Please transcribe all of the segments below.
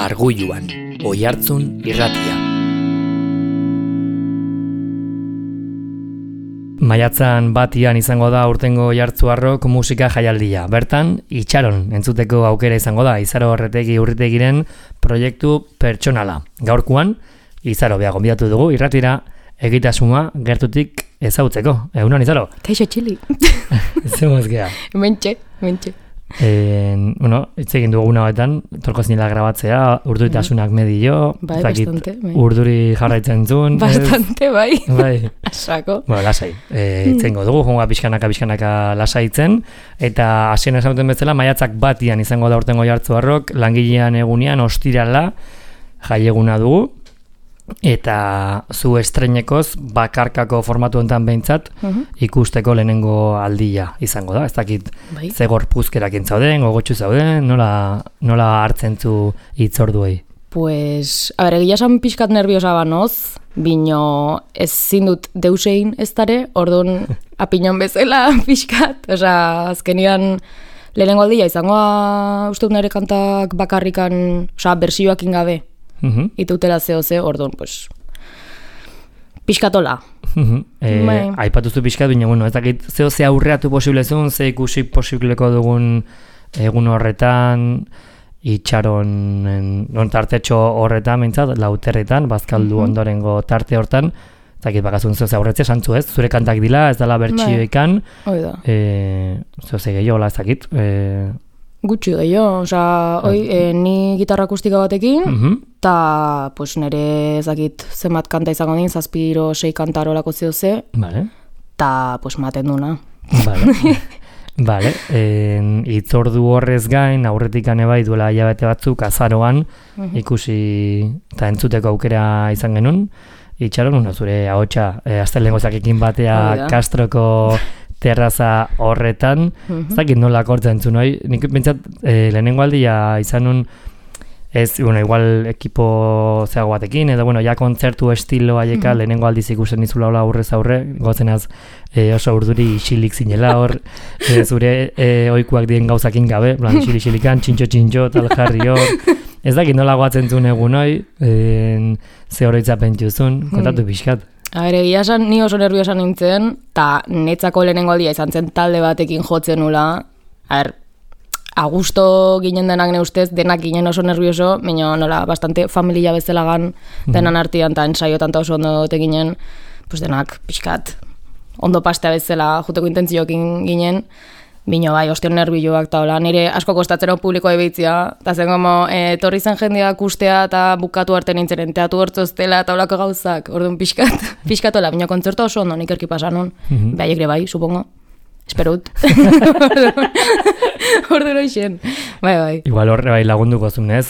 Argulluan, Oihartzun irratia. Maiatzan batian izango da urtengo Oihartzuarrok musika jaialdia. Bertan, itxaron entzuteko aukera izango da Izaro Urritegiren proiektu pertsonala. Gaurkoan, Izaro beha gonbidatu dugu irratira egitasuma gertutik ezautzeko. Egunon, Izaro? Kaixo txili. Zemuz gea. Mentxe. Hitz egin dugu hauetan, torko zinela grabatzea, urduritasunak medio, bai, bastante. Bai. Urduri jarraitzen zuen. Bastante, bai. Bai. Asako. Bueno, lasai. Hitz egingo dugu, jonga pixkanaka lasaitzen, eta hasien esauten bezala, maiatzak batian izango da urtengo Oihartzuarrok, langilean egunean, ostirala, jaieguna dugu, eta zu estreinekoz bakarkako formatu enten behintzat ikusteko lehenengo aldia izango da. Ez dakit bai. Ze gorpuzkerak entzauden, gogotxu zauden, nola hartzen zu hitzorduei? Pues, a ber, egia esan pixkat nerviosa banoz, bino ezin dut deusein ez dare, orduan apinon bezala pixkat, osea, azkenian lehenengo aldia izango uste nire kantak bakarrikan, osea, bersioak ingabe. Itautela ze, orduan, pues, pixkatola. Aipatuzu pixkat, baina, bueno, ez dakit ze aurreatu posiblezun, ze ikusi posibleko dugun egun horretan, itxaron tartetxo horretan, mintzat, lauterretan, bazkaldu ondorengo tarte hortan, ez dakit bakazun ze aurretze, santzu ez, zure kantak dila, ez dela bertxioikan, ze gehiago, ez dakit, gutxi gehiago, osea, ni gitarra akustika batekin, eta pues, nire ezakit zenbat kanta izango din, 7-6 kanta horolako zehose, eta pues, maten duna. Vale, hitzordu horrez gain, aurretik bai duela hilabete batzuk, azaroan, ikusi eta entzuteko aukera izan genuen, itxaron, zure ahotsa, astelengotzakekin batea Castroko terraza horretan, ez dakit nola akortzen zu, noi? Nik bentsat lehenengo aldia izan nun, igual ekipo zeago batekin, edo, ja kontzertu estilo haieka lehenengo aldiz ikusten nizula hola aurrez aurre, gozenaz oso urduri isilik zinela hor, zure oikuak dien gauzakin gabe, isilikan, txintxo, tal jarri hor, ez dakit nola goatzen zuen egun hoi, ze oroitzapen juzun, kontatu pixkat. A ber, egia esan, ni oso nerviosa nintzen, eta netzako lehenengo aldia izan zen talde batekin jotzen nula. A ber, agusto ginen denak ne ustez, denak ginen oso nervioso, baina nola, bastante familia bezalagan denan artian, eta ensaio tanta oso ondo ginen, pues denak pixkat ondo pastea bezala juteko intentzioekin ginen, bino bai, ostion nervioak eta hola, nire asko kostatzen hau publikoa ebeitzia, eta zen gomo, torri zen jendea kustea eta bukatu arte nintzen, teatu hortzoztela eta holako gauzak, orduan pixkatola, bino kontzertu oso ondo nik erki pasanon, behaiek ere bai, supongo, esperut, orduan hoxen, bai. Igual horre bai lagunduko zunez,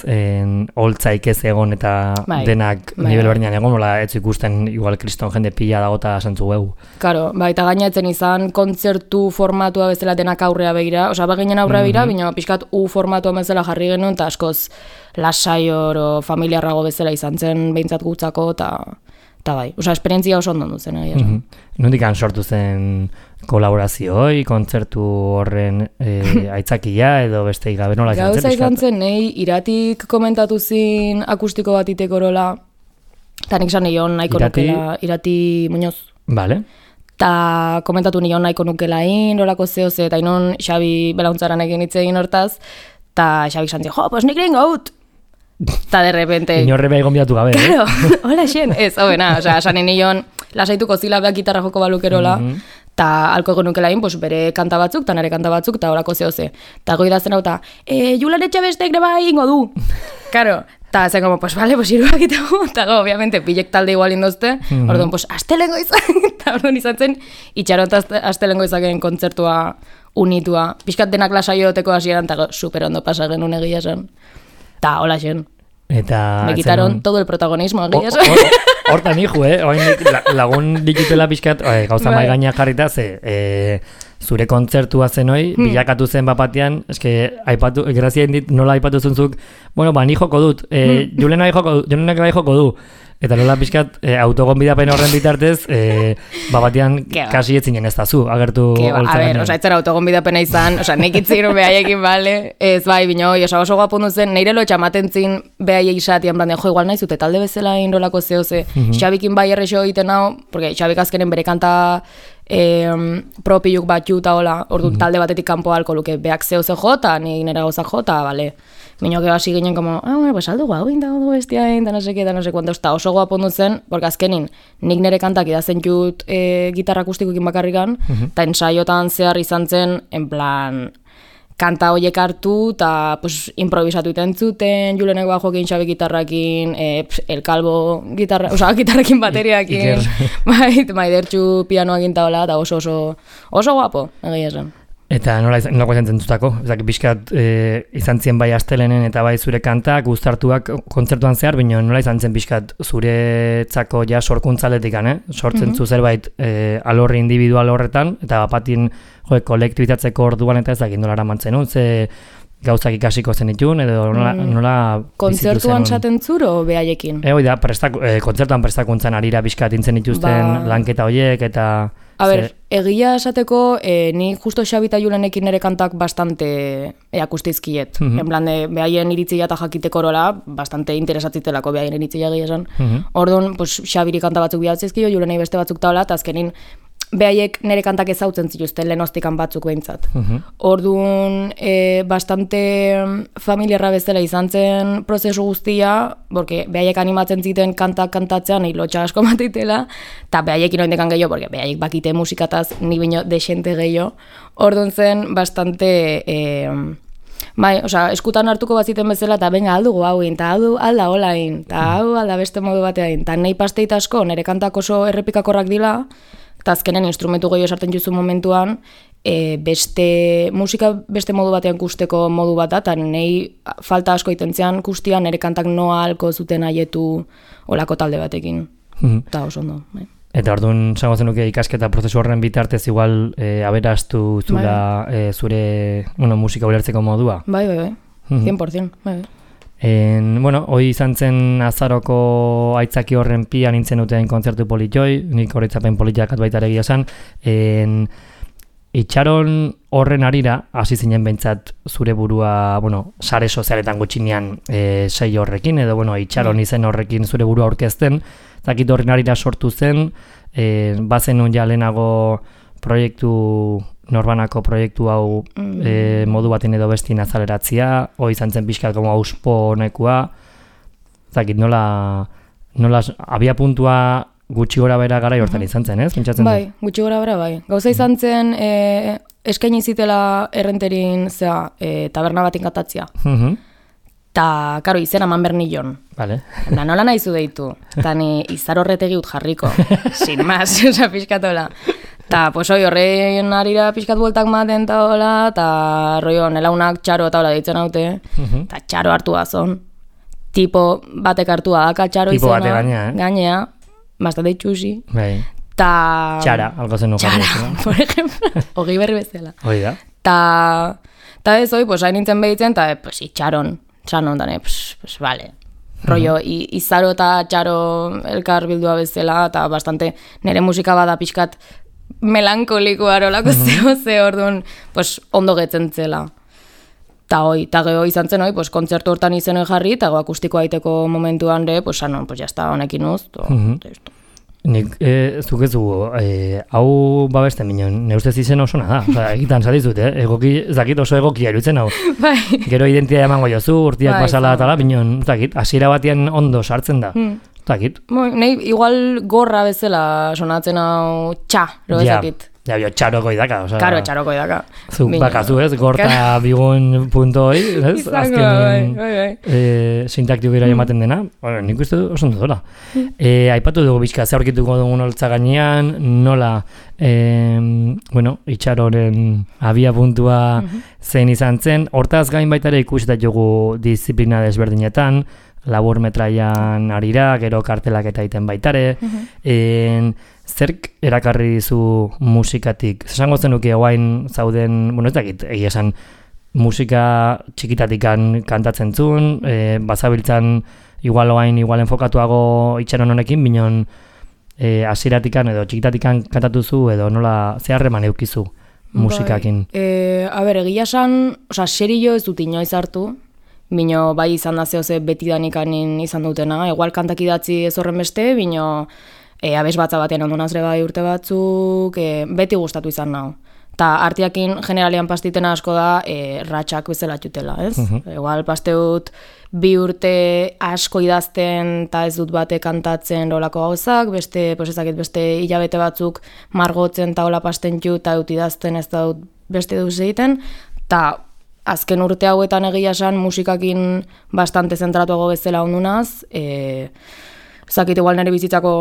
holtzaik ez egon eta denak nivel berdinan egon, hola ez ikusten igual kriston jende pila dagota santzu geu. Karo, bai, eta gainatzen izan kontzertu formatua bezala denak aurrea begira, osea, baginen aurrea begira, bino pixkat formatua bezala jarri genuen, eta askoz lasai oro familiarrago bezala izan zen behintzat gutzako, eta bai, osea, esperientzia oso ondo duzen. Nondik sortu zen kolaborazioi, kontzertu horren aitzakia edo beste gabe nola izan zen? Gauza izan zen, nahi iratik komentatu zin akustiko bat iteko orola, eta nik zan nion nahiko nukela, Irati Muñoz. Vale. Ta komentatu nion nahiko nukelain, rolako zehoze, eta inon Xabi Belauntzaren egin hitz egin hortaz, eta Xabik zantzio, pues nik egin gaut! Ta de repente... Inorre beha gonbidatu gabe, Claro, hola xen, ez, hobena, osea, sanen nion lasaituko zila beha gitarra joko balukerola, eta alko egon nukelain, pues, bere kanta batzuk, eta nire kanta batzuk, eta horako zehoze. Eta goi dazen hau, eta, Julen Etxabestek neba ingo du. Karo, eta zen como, pues, vale, pues, iruak itago, eta go, obviamente, pilek talde igual indozte, orduan, pues, astelengo izan, eta orduan izan zen, itxaron astelengo izaken kontzertua unitua. Piskat denak lasaioteko hasieran, eta super ondo pasa genuen egia esan. Eta hola xen. Eta me quitaron todo el protagonismo, egia esan. Hortan hijo, lagun dikitela pixkat, gauza mai gaina jarrita, zure kontzertua zen hoi, bilakatu zen bapatean, eske, grazien dit nola aipatu zuntzuk, bueno, ni joko dut, Julenak bai joko du, Eta nola pixkat, autogonbidapen horren bitartez, batean kasi etzinen ez da zu, agertu holtza ganean. Osa, etzera autogonbidapena izan, osa, nek itzegin behaiekin, bale, ez bai, bino, oso guapundu zen, neire lo txamaten zin behaiek isatian, blande, jo, igual nahi zute, talde bezala inrolako zehose, Xabikin bai errexo egiten hau, porque Xabik azkenen bere kanta propiluk batxu eta hola, ordu talde batetik kanpo halko luke, beak zehose jota, nik nera gauzak jota, bale. Mino que hasi ginen como, pues aldo guau, da ondo bestia, da no sé qué, eta oso guapo ondo zen, porque azkenin, nik nere kantak idazen jut gitarra akustikoekin bakarrikan, eta ensaiotan zehar izan zen, en plan, kanta horiek hartu, eta pues, improvisatu iten zuten, Julenek bajoekin, Xabi gitarrakin, El Calvo gitarrakin bateriakin, maidertxu pianoakin eta hola, eta oso guapo, egia esan. Eta nola izan zentzutako? Ezak, bizkat izan zien bai astelenen eta bai zure kantak, guztartuak kontzertuan zehar, baina nola izan zen bizkat zuretzako ja sorkuntzaletik, sortzen zu zerbait alorri individual horretan, eta bapatin kolektibitatzeko orduan eta ezak nola eramantzen, ze gauzak ikasiko zen ditun, edo nola kontzertuan zaten zuro behaiekin? Da, kontzertuan prestakuntzan arira bizkat intzen dituzten lanketa horiek, eta... A ber, egia esateko, ni justo Xabi eta Julenekin nire kantak bastante akustizkiet. En plan, behaien iritzia eta jakiteko orola, bastante interesatzitelako behaien iritzia egia esan. Orduan, Xabiri kanta batzuk bihatzizkio, Julenei beste batzuk taula, eta azkenin behaiek nire kantak ezautzen zituzten lehenostikan batzuk behintzat. Orduan, bastante familiarra bezala izan zen prozesu guztia, porque behaiek animatzen ziten kantak kantatzean, nahi lotxa asko matitela, eta behaiekin oindekan gehiago, porque behaiek bakite musikataz ni bino desente gehiago. Orduan zen, bastante... Bai, eskutan hartuko baziten bezala, eta benga aldugu hauin, eta alda holain, eta hau alda beste modu bateain, eta nahi pasteit asko, nire kantak oso errepikakorrak dila, eta azkenen instrumentu gehiago sartzen juzu momentuan, musika beste modu batean kusteko modu bat, eta nahi falta asko itentzean kustian, nire kantak noa halko zuten aietu olako talde batekin. Eta oso ondo, bai. Eta orduan, zango zenuke ikasketa prozesu horren bitartez igual aberastu zula zure musika ulertzeko modua? Bai, 100%, bai. Hoi izan zen azaroko aitzaki horren pia nintzen duten kontzertu politjoi, nik horretzapen politiak baita egia esan. Itxaron horren arira, hasi zinen behintzat zure burua, sare sozialetan gutxinean sei horrekin, edo itxaron izen horrekin zure burua aurkezten, zakit horren arira sortu zen, bazen nun ja lehenago proiektu, norbanako proiektu hau modu baten edo bestin azaleratzia, hoi izan zen pixkat como auspo nekua, zakit nola abia puntua gutxi gora bera gara hortan izan zen, ez? Bai, gutxi gora bera bai. Gauza izan zen eskaini zitela errenterin taberna batin katatzia. Ta, karo, izena eman bernillon. Vale. Da, nola nahi zu deitu. Ta ni izar horretegi ut jarriko. Sin más, pixkatola. Ta, horrein arira pixkat bueltak maten eta hola, ta rollo nelaunak txaro eta hola deitzen haute. Ta txaro hartu azon. Tipo batek hartua daka txaro tipo izena. Tipo bate gainea. Bastante txusi. Bai. Ta... Txara, algo zen nuka. Txara, por ejemplo. Ogei berri bezala. Hoi da. Ta ez hoi, hain nintzen behitzen, ta, itxaron. Txanon, dane, vale. Rollo, izaro eta txaro elkar bildua bezala, eta bastante nire musika bada pixkat melankolikoa rolako ze orduan, ondo getzen zela. Ta geho izan zen hoi, kontzertu hortan izenen jarri, eta akustikoa aiteko momentuan re, sanon, jazta honekin uz, Nik, zuk ez dugu, hau babesten minon, ne ustez izen oso nada, egitan zadizut, egoki, zakit oso egokia irutzen hau. Bai. Gero identitatea emango jozu, urtiak basala eta minon, zakit, hasiera batean ondo sartzen da, zakit. Nei, igual gorra bezala sonatzen hau txa, zakit. Ja, txaroko idaka, oza... Karo, txaroko idaka. Zuk bakazu ez, gorta bigun punto hoi, ez? Azkenin sintaktiko gira ematen dena, nik uste du oso dola. Aipatu dugu bizka, ze aurkituko dugun holtza gainean, nola, itxaroren abia puntua zein izan zen, hortaz gain baita ere ikusetat dugu disiplina desberdinetan, labur metraian arira, gero kartelak eta iten baitare, zerk erakarri dizu musikatik? Zesango zenuke guain zauden, ez dakit, egia esan, musika txikitatikan kantatzen zuen, bazabiltzan igual enfokatuago itxaron honekin, binon hasieratikan edo txikitatikan kantatuzu edo nola zeharreman eukizu musikakin. Egia esan, serio ez dut inoiz hartu, bino bai izan da zehoze betidanikan izan dutena, igual kantak idatzi ez horren beste, bino abes batza batean ondonazre bai urte batzuk, beti gustatu izan nau. Ta artiakin generalian pastitena asko da ratxak bezala txutela, ez? Igual pasteut 2 urte asko idazten eta ez dut bate kantatzen olako gauzak, beste hilabete batzuk margotzen eta hola pasten txut eta dut idazten ez da dut beste duz egiten, eta azken urte hauetan egia esan musikakin bastante zentratuago bezala ondunaz, zakit igual nire bizitzako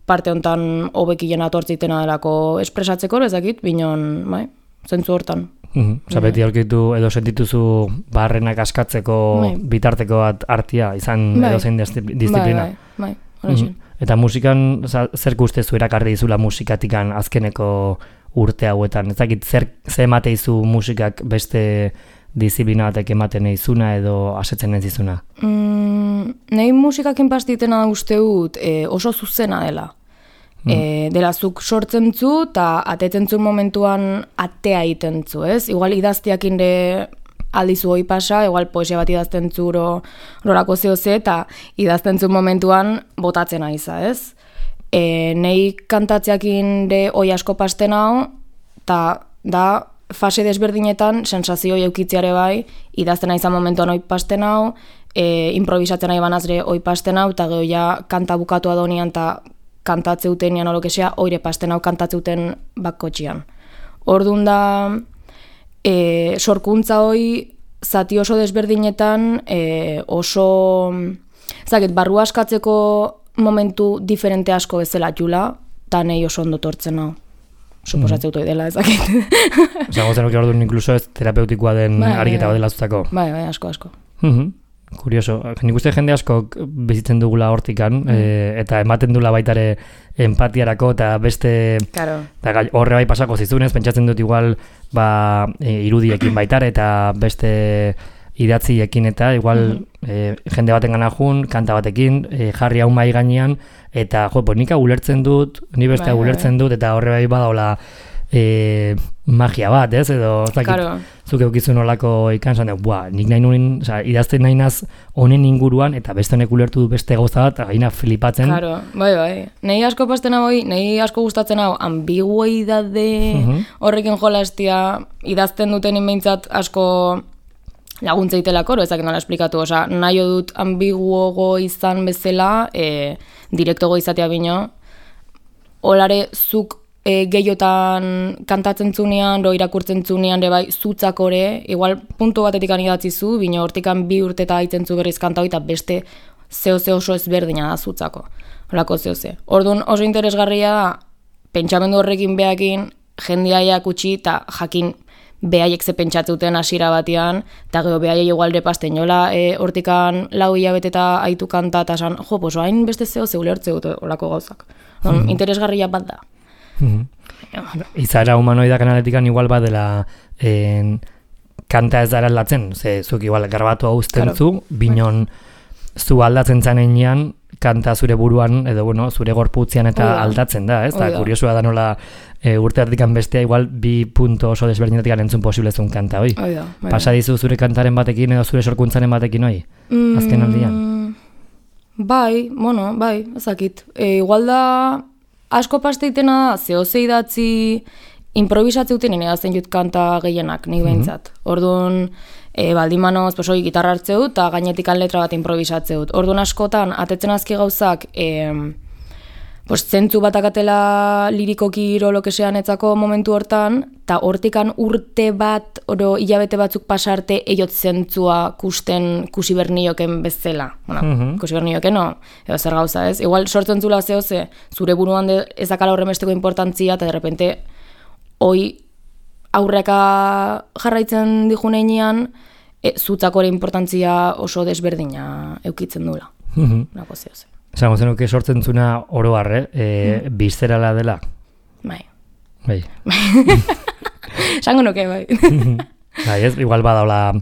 parte hontan hobekien atortzitena delako espresatzeko, ezakit, binon, bai, zentzu hortan. Beti aurkitu edo sentituzu barrenak askatzeko bitarteko bat artia, izan edo zein disiplina. Bai. Eta musikan, zer gustezu erakarri dizula musikatikan azkeneko urte hauetan? Ezakit, zer emateizu musikak beste disiplina batek ematen izuna edo asetzen ez izuna? Nei musikakin pastitena uste dut oso zuzena dela. Dela zuk sortzen zu eta atetzen zu momentuan atea egiten zu, ez? Igual idaztiakin de aldizu hoi pasa, igual poesia bat idazten zu rorako zehoze eta idazten zu momentuan botatzen aiza, ez? Nei kantatzeakin de hoi asko pasten hau, eta da fase desberdinetan sensazio eukitziare bai, idazten aizan momentuan hoi pasten hau, improvisatzen nahi banazre hoi pasten hau, eta geho ja kanta bukatu adonian eta kantatzeuten nian olokesea, oire pasten hau kantatzeuten bakkotxian. Orduan da, sorkuntza hoi zati oso desberdinetan oso, barru askatzeko momentu diferente asko bezala jula, eta nahi oso ondo tortzen hau. Suposatzeutu dela ezakit. Zagotzen oki orduan inkluso ez terapeutikoa den ariketa bat dela zutako. Bai, asko. Kurioso. Nik uste jende askok bizitzen dugula hortikan, eta ematen dula baitare empatiarako eta beste horre bai pasako zizunez, pentsatzen dut igual irudiekin baitare eta beste idatziekin eta igual jende baten gana jun, kanta batekin, jarri hau mai gainean, eta nik ulertzen dut, ni beste ulertzen dut, eta horre bai badaola magia bat, ez? Edo, zuk eukizun olako ikansan, nik nahi nuen, idazten nahi naz honen inguruan, eta beste honek ulertu du beste gauza bat, gaina flipatzen. Bai. Nei asko pasten hau, nei asko gustatzen hau, ambiguidade horrekin jolastia, idazten duten inbeintzat asko laguntzeitelako, ezak nola esplikatu, nahi dut ambiguogo izan bezala, direktogo izatea bino, holare zuk gehiotan kantatzen zunean, irakurtzen zunean, bai, zutzakore, igual puntu batetik idatzizu, bino hortikan 2 urte eta haitzen zu berriz kanta hori, eta beste zehose oso ezberdina da zutzako, horako zehose. Orduan oso interesgarria, pentsamendu horrekin behakin, jendeaiak utzi eta jakin behaiek ze pentsatzeuten hasiera batean, eta gero behaiek igualde pasten jola, hortikan 4 hilabete eta haitu kanta, eta esan, hain beste zehose ulertze dut horako gauzak. Interesgarria bat da. Izaera humanoida kanaletikan igual badela kanta ez dara aldatzen, zuk igual garbatu hau uzten zu, binon zu aldatzen zanean kanta zure buruan, edo zure gorputzean eta aldatzen da, ez? Eta kuriosua da nola urte artikan bestea igual 2 punto oso desberdinetikan entzun posiblezun kanta, hoi? Pasa dizu zure kantaren batekin edo zure sorkuntzaren batekin, hoi? Azken aldian? Bai, ezakit. Igual da asko pasteitena da, zehose idatzi improvisatzeuten edazten jut kanta gehienak, nik behintzat. Orduan, baldimanoz, gitarra hartzeut, eta gainetik letra bat improvisatzeut. Orduan askotan, atetzen azki gauzak, zentzu bat akatela lirikoki irolokesean etzako momentu hortan, eta hortikan urte bat, hilabete batzuk pasarte, eiot zentzua kusi bernioken bezala. Kusi bernioken, edo zer gauza ez. Igual sortzen zula zehose, zure buruan ezakala horren besteko importantzia, eta derrepente, hoi aurreka jarraitzen dijunean, zutzakore importantzia oso desberdina eukitzen dula. Nako zehose. Zango zenuke sortzen zuna oro harre, bizerala dela? Bai. Zango nuke, bai. Bai, ez, igual badaula,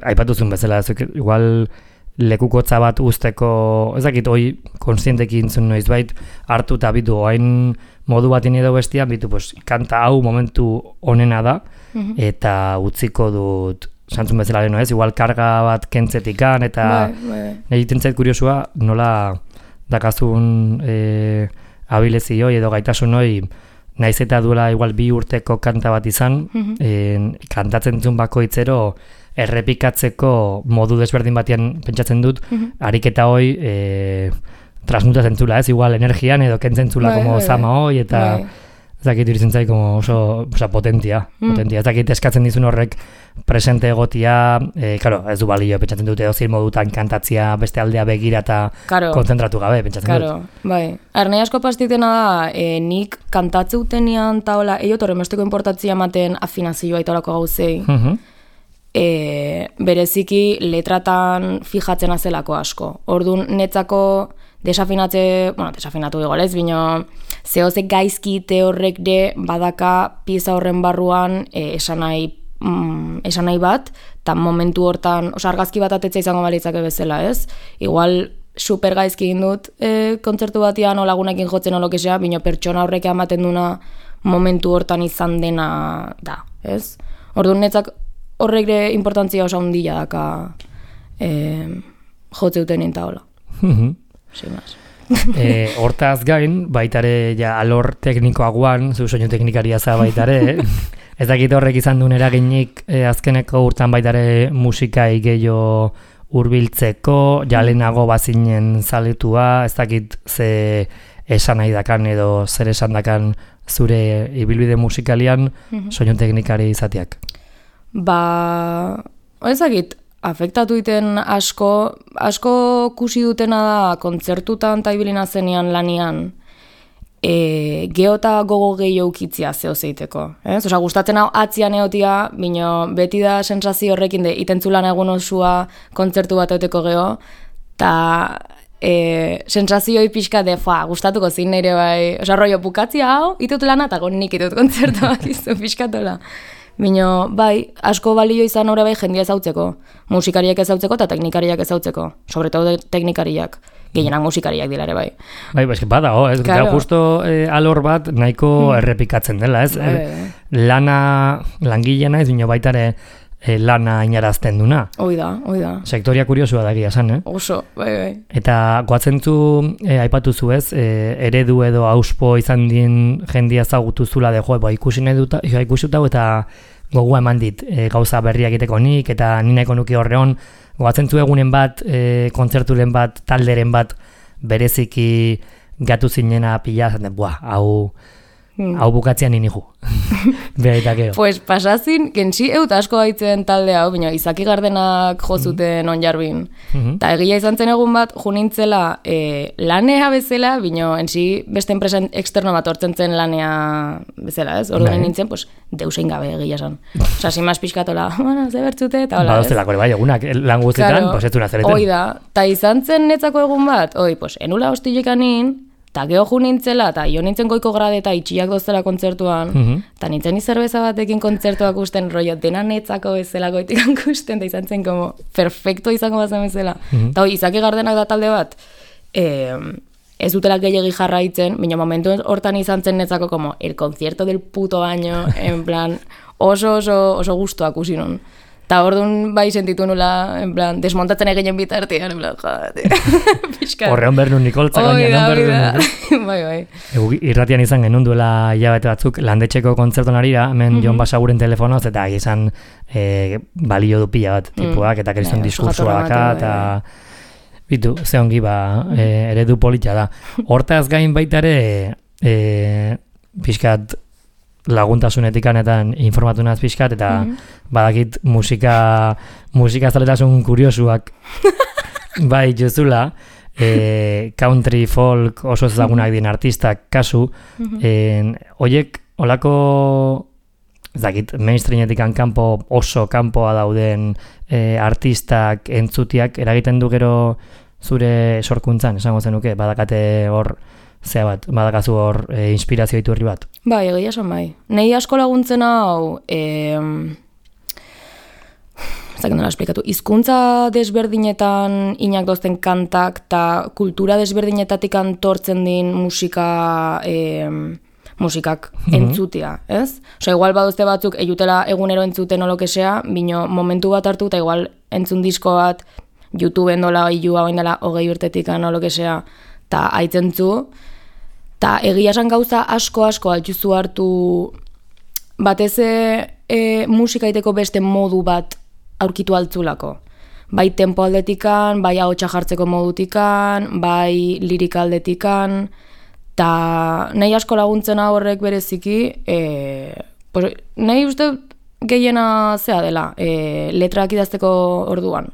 aipatuzun bezala, igual lekukotza bat usteko, ez dakit, hoi konstientekin zuen noiz bait, hartu eta bitu, hain modu batin edo bestian, bitu, pues, kanta hau momentu onena da, eta utziko dut, santzun bezala leheno ez, igual karga bat kentzetikan, eta egiten zait kuriosua, nola dakazun abilezi hoi edo gaitasun hoi, naiz eta duela igual 2 urteko kanta bat izan, kantatzen zuen bakoitzero, errepikatzeko modu desberdin batean pentsatzen dut, ariketa hoi transmutatzen zula, ez? Igual energian edo kentzen zula como zama hoi, eta ez dakit iritzen zai como oso potentia. Ez dakit eskatzen dizun horrek presente egotia, claro, ez du balio, pentsatzen dute dozil modutan kantatzia beste aldea begira eta kontzentratu gabe, pentsatzen dut. Bai. Nahi asko pastitena da, nik kantatzeutenian taola, eiot horremesteko importatzia ematen afinazioa itorako gauzei, bereziki letratan fijatzen azelako asko. Orduan netzako desafinatu igual ez, bino zehose gaizkite horrek de badaka pieza horren barruan esanai bat, eta momentu hortan, argazki bat atetza izango balitzake bezala ez, igual super gaizki egin dut kontzertu batian o lagunekin jotzen olokesea, bino pertsona horrek ematen duna momentu hortan izan dena da, ez? Orduan netzak horrek de importantzia oso handia daka jotzeuten intaola. Hortaz gain, baitare ja alor teknikoagoan, zu soinu teknikaria za baitare, ez dakit horrek izan duen eraginik azkeneko urtan baitare musikai gehiago hurbiltzeko, jalenago bazinen zaletua, ez dakit ze esan nahi dakan edo zer esan dakan zure ibilbide musikalian soinu teknikari izateak. Ezagit, afektatu iten asko kusi dutena da kontzertutan eta ibilina zenean lanian geota gogo gehiago ukitzia zehozeiteko. Osa, gustatzen hau atzian egotia, bino beti da sensazio horrekin de itentzulan egun osua kontzertu bat euteko geho, eta sensazioi pixka de, gustatuko zin nire bai, osa, rollo bukatzia hau, itut lana eta nik itut kontzertu bat izu pixkatola. Bino, bai, asko balio izan hori bai jendia ezautzeko. Musikariak ezautzeko eta teknikariak ezautzeko. Sobretodo teknikariak. Gehienak musikariak dilare bai. Bai, eski bada, ez claro. Justo alor bat nahiko errepikatzen dela, ez? Langilena ez bino baitare lana inarazten duna. Oida. Sektoria kuriosua da egia esan, Oso, bai. Eta goatzen zu, aipatu zu ez, eredu edo auspo izan dien jendia ezagutu zula de ikusi utau eta gogua eman dit gauza berriak egiteko nik, eta nineko nuke horreon, goatzen zu egunen bat, kontzerturen bat, talderen bat, bereziki gatu zinena pila, zaten, hau bukatzean ninigu. Pues pasazin, gensi eut asko gaitzen talde hau, bino, Izaki Gardenak jozuten onjarbin. Ta egia izan zen egun bat, junintzela lanea bezala, bino, ensi beste enpresen externo bat hortzen zen lanea bezala, ez? Orduan nintzen, pues, deusein gabe egia esan. Osa, simaz pixkatola, ze bertzute, eta hola, ez? Badozela, bai, egunak, lan guztietan, pues, ez duna zereten. Oida, ta izan zen netzako egun bat, pues, enula hostilekanin, eta geho ju nintzela, eta jo nintzen goiko grade eta itxiak dozela kontzertuan, eta nintzen izerbeza batekin kontzertuak usten, rollo, dena netzako bezala goitikan kusten, eta izan zen como perfecto izango bazen bezala. Eta Izaki Gardenak da talde bat, ez dutela gehiagi jarraitzen, baina momentu hortan izan zen netzako como el concierto del puto año, en plan, oso gustuak usinon. Ta orduan bai sentitu nula, en plan, desmontatzen eginen bitartean, en plan, jate, pixka. Horreon bernu Nikoltzak gaina, Bai. Irratian izan genuen duela hilabete batzuk, landetxeko kontzerton arira, hemen Jon Basaguren telefonoz, eta izan balio du pila bat tipuak, eta kriston diskursoak, eta bitu, ze ongi eredu polita da. Hortaz gain baitare, pixkat, laguntasunetik anetan informatu naz pixkat, eta badakit musika zaletasun kuriosuak bai jozula, country, folk, oso ezagunak dien artistak kasu, oiek olako dakit, mainstreametik kanpo oso kanpoa dauden artistak entzutiak eragiten du gero zure sorkuntzan, esango zenuke, badakate hor zea bat, badakazu hor inspirazio iturri bat? Bai, egia esan bai. Nei asko laguntzen hau, zaken nola esplikatu, hizkuntza desberdinetan inak dozten kantak eta kultura desberdinetatik antortzen din musikak entzutia, ez? Osa, igual badozte batzuk eiutela egunero entzuten olokesea, bino momentu bat hartu eta igual entzun disko bat YouTubeen dola ilua oindela 20 urtetik olokesea eta aitzentzu, eta egia esan gauza asko altzuzu hartu batez musika iteko beste modu bat aurkitu altzulako. Bai tempo aldetikan, bai ahotsa jartzeko modutikan, bai lirika aldetikan, eta nahi asko laguntzen horrek bereziki, nahi uste gehiena zea dela, letrak idazteko orduan.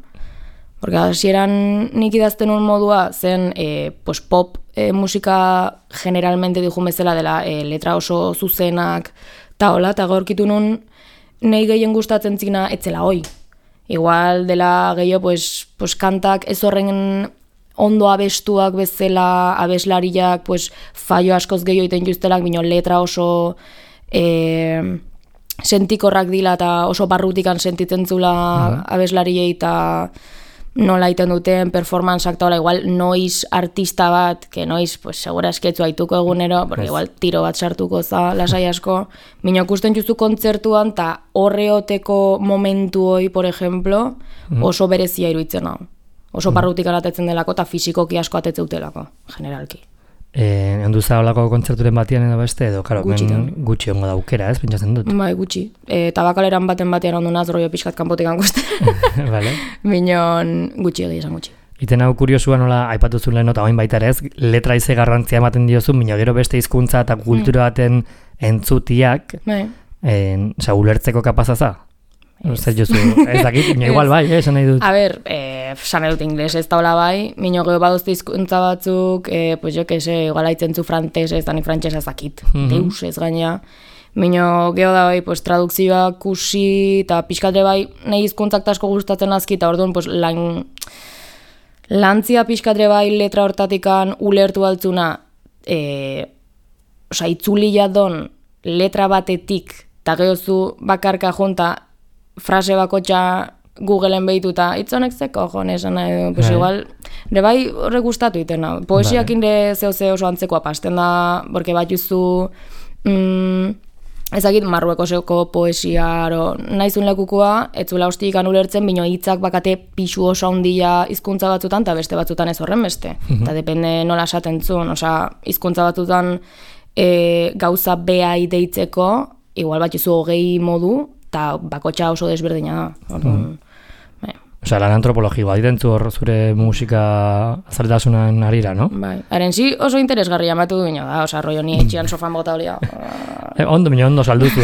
Porque hasieran nik idazten un modua zen pop musika generalmente dijun bezala dela letra oso zuzenak eta hola, eta gaurkitu nun nahi gehien gustatzen zina etzela hoi. Igual dela gehiago pues kantak ez horren ondo abestuak bezala, abeslariak fallo askoz gehiago iten justelak, bino letra oso sentikorrak dila eta oso barrutikan sentitzen zula abeslariei eta nola iten duten performanceak eta igual noiz artista bat, que noiz segura esketzu haituko egunero, porque igual tiro bat sartuko za lasai asko, bino ikusten juzu kontzertuan eta horreoteko momentu hoi, por ejemplo, oso berezia iruditzen hau. Oso barrutikan atetzen delako eta fisikoki asko atetzeutelako, generalki. Handuza olako kontzerturen batian edo beste, edo, karo, gutxi ongo daukera, ez, pentsatzen dut? Bai, gutxi. Tabakaleran batean ondu naz, rollo pixkat kanpotik angusten. Vale. Minon, gutxi egia esan gutxi. Iten hau kuriosua nola, aipatu zuen lehen, eta oin baita ere ez, letra ize garrantzia ematen diozu, mino gero beste hizkuntza eta kultura baten entzutiak, ulertzeko kapazaza? Zer jozu, ez dakit, igual bai, esan nahi dut. A ber, esan nahi dut ingles ez taula bai, mino geho badozte hizkuntza batzuk, pues jo que se, igual haitzen zu frantez, ez da ni frantzesa ez dakit, deus ez gaina. Mino geho da bai, pues tradukzioak kusi, eta pixkatre bai, nahi hizkuntzak asko gustatzen azki, eta orduan, pues lantzia pixkatre bai letra hortatikan ulertu altzuna, itzuli jadon letra batetik, eta gehozu bakarka jonta, frase bakotxa Googleen behituta, itzonek zeko, esan nahi, pues igual, bai horrek gustatu itena. Poesiak inde zeo oso antzekoa pasten da, porque bat juzu, ezagit Marruekoseko poesia, nahizun lekukua, etzula hostiikan ulertzen, bino hitzak bakate pixu oso handia hizkuntza batzutan, eta beste batzutan ez horren beste. Eta depende nola esaten zuen, hizkuntza batzutan gauza behai deitzeko, igual bat juzu 20 modu, eta bakotxa oso desberdina da. Lan antropologikoa ditentzu hor zure musika azaltasunan arira, no? Bai, haren oso interesgarria amatu du bino da, rollo ni etxian sofan bota holia. Ondo salduzu,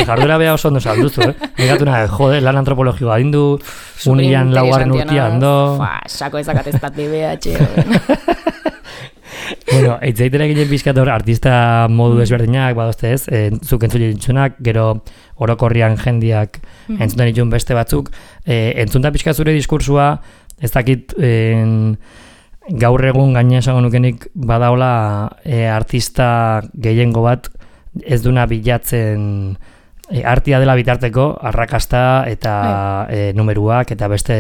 jardura beha oso ondo salduzu, Negatu nahi, lan antropologikoa dindu, unian laugarren urtia, ondo... Sako ezakateztat beha, Bueno, eitzaitera ginen pixkat hor artista modu desberdinak, badozte ez, zuk entzule ditzunak, gero orokorrian jendiak entzuntan ditun beste batzuk, entzunta pixkat zure diskursua, ez dakit gaur egun gaina esango nukenik badaola artista gehiengo bat ez duna bilatzen artia dela bitarteko, arrakasta eta numeruak eta beste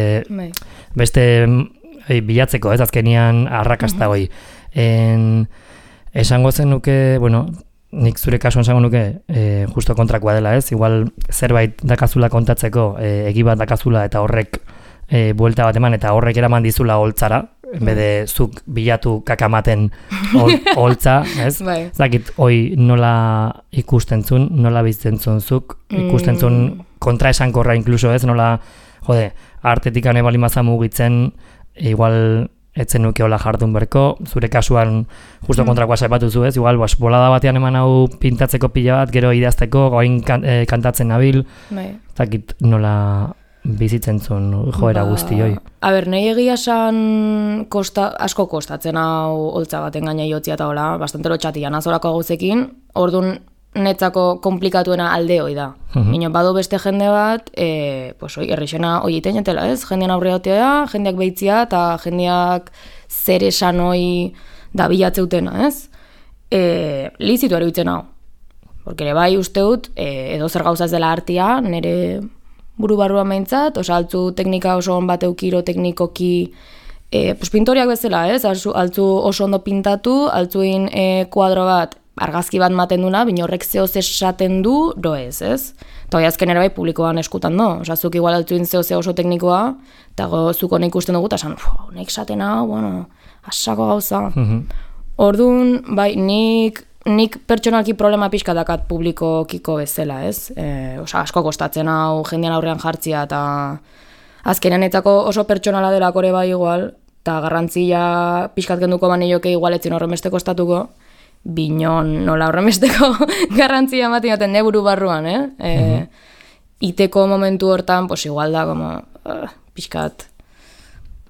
bilatzeko, ez azkenian arrakasta hoi. Esango zen nuke, nik zure kasuan esango nuke justo kontrakoa dela ez, igual zerbait dakazula kontatzeko, egi bat dakazula eta horrek buelta bat eman eta horrek eraman dizula holtzara, bede zuk bilatu kakamaten holtza, ez? Zakit, hoi nola ikusten zun, nola bizten zun zuk, ikusten zun kontraesankorra inkluso ez, nola, artetik ane bali maza mugitzen, igual etzen nuke hola jardun berko, zure kasuan justo kontrakoa saipatu zu ez, igual bolada batean eman hau pintatzeko pila bat, gero idazteko, goain kantatzen nabil, zakit nola bizitzen zuen joera guzti hoi. A ber, nahi egia esan asko kostatzen hau holtza baten gaina jotzia eta hola, bastante lotxatian azorako gauzekin, orduan netzako komplikatuena alde hoi da. Mino, badu beste jende bat, errexena hoi iten jatela ez, jendean aurreotea, jendeak behitzia eta jendeak zer esan hoi da bilatzeutena ez. lizitu eruditzen hau. Porque ere bai uste dut, edo zer gauza ez dela artia, nire buru barruan behintzat, altzu teknika oso on bat eukiro teknikoki, pintoriak bezala, ez? Altzu oso ondo pintatu, altzuin kuadro bat, argazki bat maten duna, bino horrek zehoz esaten du, ez? Eta hoi azken ere bai publikoan eskutan do. Zuk igual altzuin zehoz oso teknikoa, eta zuko nik ikusten dugu, eta esan, nek esaten hau, asako gauza. Orduan, bai, nik pertsonalki problema pixka dakat publikokiko bezala, ez? Asko kostatzen hau, jendean aurrean jartzia, eta azkenean etzako oso pertsonala delako ere bai igual, eta garrantzia pixkat genduko banioke igual etzin horremeste kostatuko, binon nola horremesteko garrantzia ematen jaten neburu barruan, iteko momentu hortan, pues igual da, pixkat,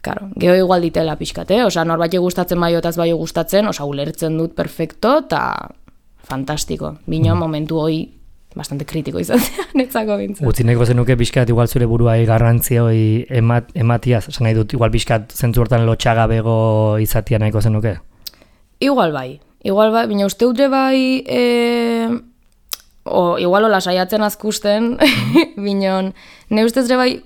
claro, geho igual ditela pixkat, norbait gustatzen bai otaz bai gustatzen, ulertzen dut perfecto, eta fantastiko, binon momentu hoi bastante kritiko izatea, netzako bintzen. Utzineko zenuke pixkat igual zure buruai garrantzia hoi ematiaz, esan nahi dut, igual pixkat zentzu hortan lotxagabego izatea nahiko zenuke? Igual bai, baina uste dute bai, igual hola saiatzen azkusten, binon, ne ustez ere bai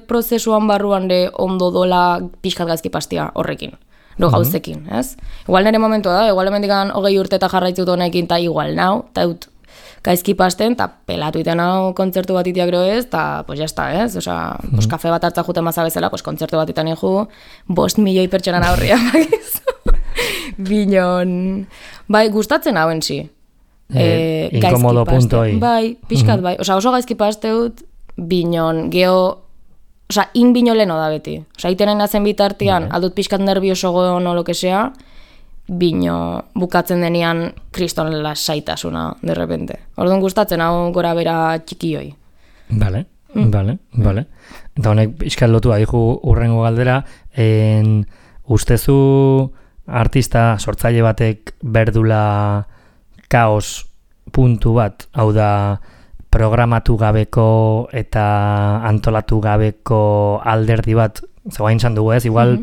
prozesuan barruan de ondo dola pixkat gaizki pastia horrekin, gauzekin, ez? Igual nire momentua da, igual hemendikan 20 urte eta jarraitzut honekin, eta igual nau, eta dut gaizki pasten, eta pelatu iten hau kontzertu bat itiak ez, eta pues jazta, ez? Pues kafe bat hartza juten maza bezala, pues kontzertu bat iten iku, 5 milioi pertsonan aurria bakizu. Binon, bai, gustatzen hauen zi. Inkomodo puntoi. Bai, pixkat bai. Oso gaizki pasteut, binon, in bino leno da beti. Itenen nazen bitartian, aldut pixkat nervioso goen o lo que sea, bino bukatzen denean kriston lasaitasuna, de repente. Orduan gustatzen hau gora bera txikioi. Vale. Eta honek pixkat lotu adiku urrengo galdera, ustezu artista sortzaile batek berdula kaos puntu bat, hau da programatu gabeko eta antolatu gabeko alderdi bat, zegoain zan dugu ez, igual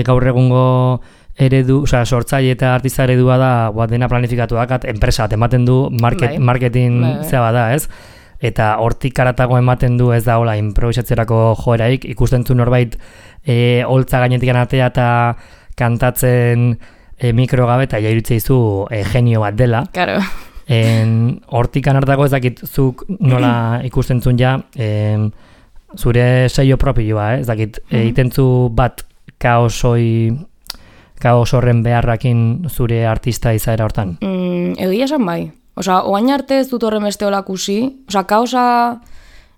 gaur egungo eredu, sortzaile eta artista eredua da, dena planifikatu dakat, enpresa bat ematen du, marketing zea da ez, eta hortik karatago ematen du ez da hola improvisatzerako joeraik, ikusten zu norbait holtza gainetik atea eta kantatzen mikro gabe eta jairutzea izu genio bat dela. Claro. Hortik anartako ezakit zuk nola ikusten zuen ja zure seio propioa, ezakit egitentzu bat kaos horren beharrakin zure artista izaera hortan? Egia esan bai. Oain arte ez dut horren beste olakusi. Kaosa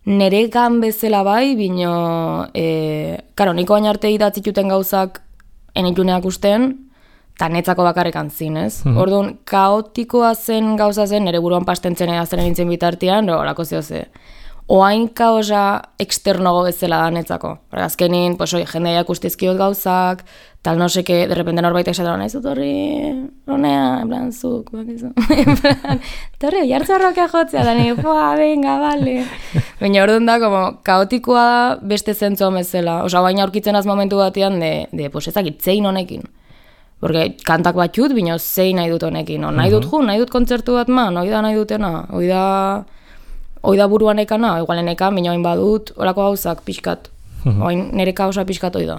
neregan bezala bai, bino niko oain arte idatzituten gauzak enituneak usten, eta netzako bakarrekan zin, ez? Orduan, kaotikoa zen gauza zen, nire buruan pastentzen zen nintzen bitartean, horako zehose. Oain kaosa eksternogo bezala da netzako. Azkenin, jendeiak ustizkiot gauzak, tal no seke, derrepende norbait esaten nahi zut horri, honea, en plan, zuk, bakizu. En plan, torri, jartzarroka jotzea, da nire, venga, vale. Baina orduan da, kaotikoa da beste zentzuan bezala. Baina aurkitzen az momentu batean, ezakit, zein honekin. Porque kantak bat jut, bino zein nahi dut honekin. Nahi dut nahi dut kontzertu bat hoi da nahi dutena, hoi da buruan ekana, igualen ekan, bino hain badut, horako gauzak pixkat. Nire kaosa pixkat hoi da.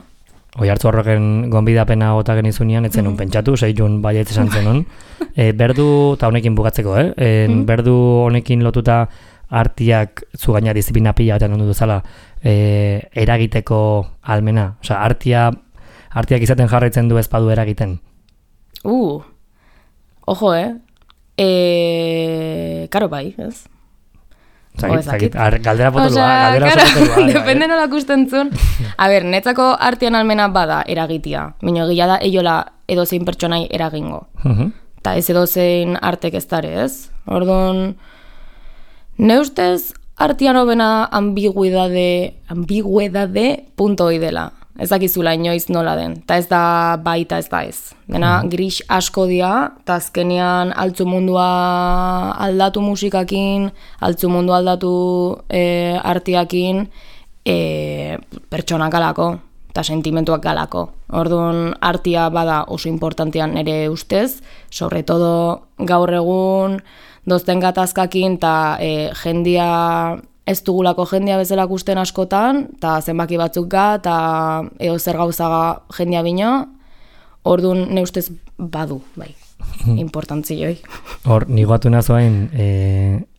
Hoi hartu horroken gonbidapena gota genizunean, etzen pentsatu, zeitun baiet esan zenun. Berdu, eta honekin bukatzeko, berdu honekin lotuta artiak zu gaina disiplina pila batean ondu duzala eragiteko almena. Artiak izaten jarraitzen du ezpadu eragiten. Ojo, karo bai, ez? Galdera potolua. Depende nola kusten zuen. Netzako artian almena bada eragitia. Mino egia da, eiola edozein pertsonai eragingo. Eta ez edozein artek ez dare, ez? Orduan, ne ustez artian hobena ambiguedade punto hoi dela. Ez dakizula inoiz nola den. Ta ez da bai eta ez da ez. Dena gris asko dia, eta azkenean altzu mundua aldatu musikakin, altzu mundua aldatu artiakin, pertsonak galako, eta sentimentuak galako. Orduan, artia bada oso importantean ere ustez, sobre todo gaur egun dozten gatazkakin, eta jendia ez dugulako jendia bezala gusten askotan, eta zenbaki batzuk eta zer gauzaga jendia bino, orduan ne ustez badu, bai, importantzioi. Hor, nigatu nazoain,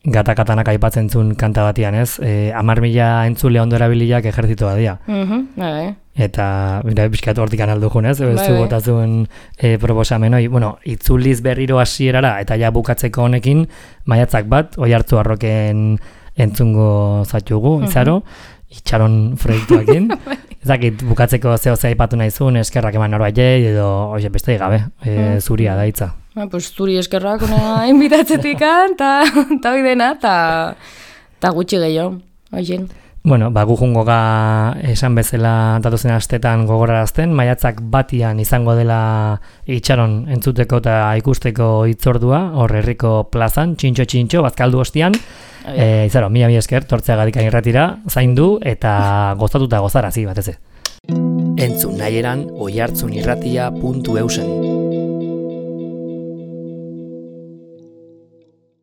gatakatanak aipatzen zuen kanta batian, ez? 10.000 entzule ondo erabiliak ejertzitoa dira. Bai. Eta, bizkat hortik analdu jun, ez? Zu bota zuen proposamen hori. Bueno, itzuliz berriro hasierara eta ja bukatzeko honekin, maiatzak bat, Oiartzu Arroken entzungo zatugu, izaro, itxaron proiektuakin. Ezakit, bukatzeko zeo aipatu nahi zuen, eskerrak eman norbaitek, edo, beste gabe, zuria da hitza. Pues zuri eskerrak una inbitatzetikan, eta hoi dena, eta gutxi gehiago, oien. Bueno, gu jungoga esan bezala datozen astetan gogorarazten, maiatzak batian izango dela itxaron entzuteko eta ikusteko hitzordua, hor herriko plazan, txintxo, bazkaldu ostian. Izaro, mila esker, tortzeagatik irratira, zaindu eta gozatuta gozarazi batez. Entzun nahieran oiartzunirratia.eusen.